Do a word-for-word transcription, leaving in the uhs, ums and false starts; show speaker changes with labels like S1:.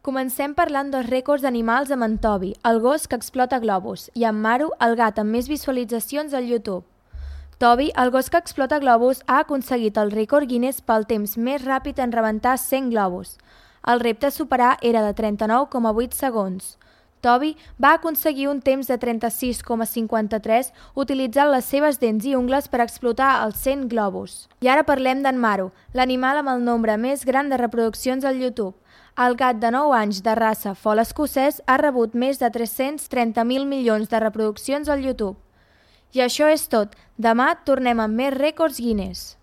S1: Comencem parlant dels rècords d'animals amb en Toby, el gos que explota globus, i en Maru, el gat amb més visualitzacions al YouTube. Toby, el gos que explota globus, ha aconseguit el rècord Guinness pel temps més ràpid en rebentar cent globus. El repte a superar era de trenta-nou coma vuit segons. Toby va aconseguir un temps de trenta-sis coma cinquanta-tres utilitzant les seves dents i ungles per explotar els cent globus. I ara parlem d'en Maru, l'animal amb el nombre més gran de reproduccions al YouTube. El gat de nou anys de raça fol escocès ha rebut més de tres-cents trenta mil milions de reproduccions al YouTube. I això és tot. Demà tornem amb més rècords Guinness.